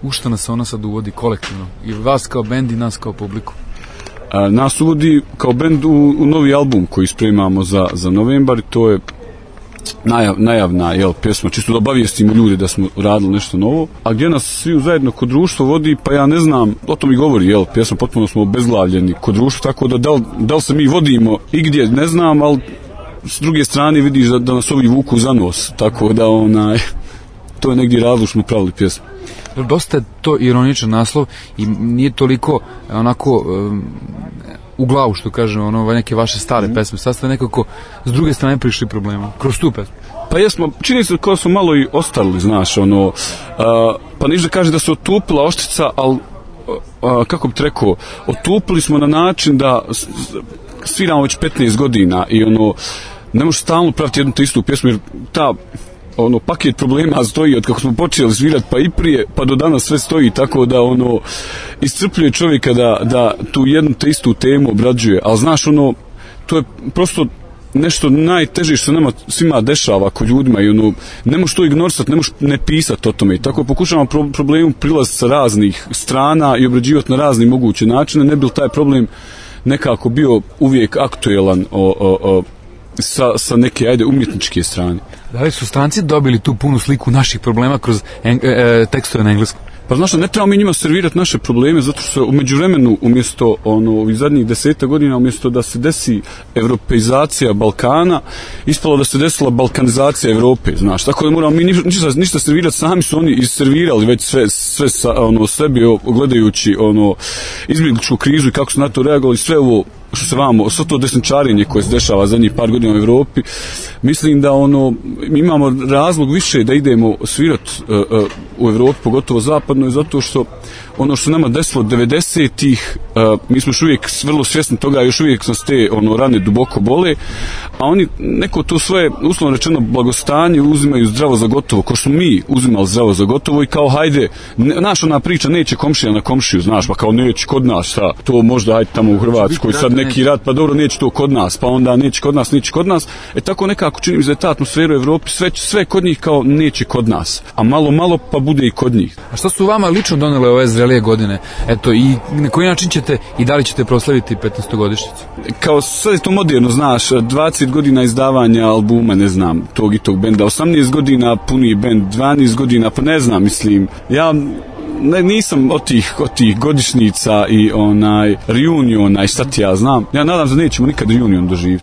U šta nas ona sad uvodi kolektivno? I vas kao bend i nas kao publiku? Nas uvodi kao bend u novi album koji spremamo za novembar i to je najavna pjesma, čisto da obavijestimo ljudi da smo radili nešto novo. A gdje nas svi zajedno kod društva vodi, pa ja ne znam, o tom i govori, pjesma, potpuno smo obezglavljeni kod društva, tako da li se mi vodimo i gdje, ne znam, ali s druge strane vidiš da nas ovi vuku za nos, tako da to je negdje razlog što smo pravili pjesmu. Dosta je to ironičan naslov i nije toliko onako u glavu, što kažem, neke vaše stare pesme. Sad ste nekako s druge strane prišli problema kroz tu pesmu. Pa jesmo, čini se kao smo malo i ostali, znaš, pa niš da kaže da se otupila oštrica, ali kako bi rekao, otupili smo na način da sviramo već 15 godina i ne možeš stalno praviti jednu te istu pjesmu, jer ta paket problema stoji od kako smo počeli svirati pa i prije, pa do danas sve stoji, tako da iscrpljuje čovjeka da tu jednu te istu temu obrađuje, ali znaš, to je prosto nešto najteže što nama svima dešava kod ljudima i ne možeš to ignorisati, ne možeš ne pisati o tome i tako pokušavamo problemu prilaziti sa raznih strana i obrađivati na razne moguće načine, ne bi li taj problem nekako bio uvijek aktuelan sa neke, umjetničke strane. Da li su stranci dobili tu punu sliku naših problema kroz tekstove na engleskom? Pa znaš, ne trebamo mi njima servirati naše probleme, zato što u međuvremenu, umjesto ovih zadnjih 10 godina, umjesto da se desi evropeizacija Balkana, ispalo da se desila balkanizacija Evrope, znaš, tako da moramo mi ništa servirati, sami su oni isservirali već sve sebi, gledajući izbjegličku krizu i kako su na to reagovali, sve ovo što se sve to desničarenje koje se dešava zadnjih par godina u Evropi, mislim da mi imamo razlog više da idemo svirati u Evropi, pogotovo zapadnoj, zato što ono što nama desilo 90-ih, mi smo još uvijek vrlo svjesni toga, još uvijek nas te rane duboko bole, a oni neko to svoje, uslovno rečeno, blagostanje uzimaju zdravo za gotovo, ko što mi uzimali zdravo za gotovo i kao hajde, naša ona priča neće komšija na komšiju, znaš, pa kao neće kod nas, šta, to možda hajde tamo u Hrvatskoj, sad neki rat, pa dobro, neće to kod nas, pa onda neće kod nas, tako nekako čini mi se da je ta atmosfera u Evropi, sve kod njih kao neće kod nas, a malo pa bude i kod njih. A što su vama lično donele ove zrelije godine? Eto, i na koji način ćete i da li ćete proslaviti 15-godišnjicu? Kao sad je to moderno, znaš, 20 godina izdavanja albuma, ne znam, tog i tog benda, 18 godina puni bend, 12 godina, pa ne znam, mislim, ja nisam od tih godišnjica i reuniona i šta ti ja znam, ja nadam se da nećemo nikad reunion doživjeti.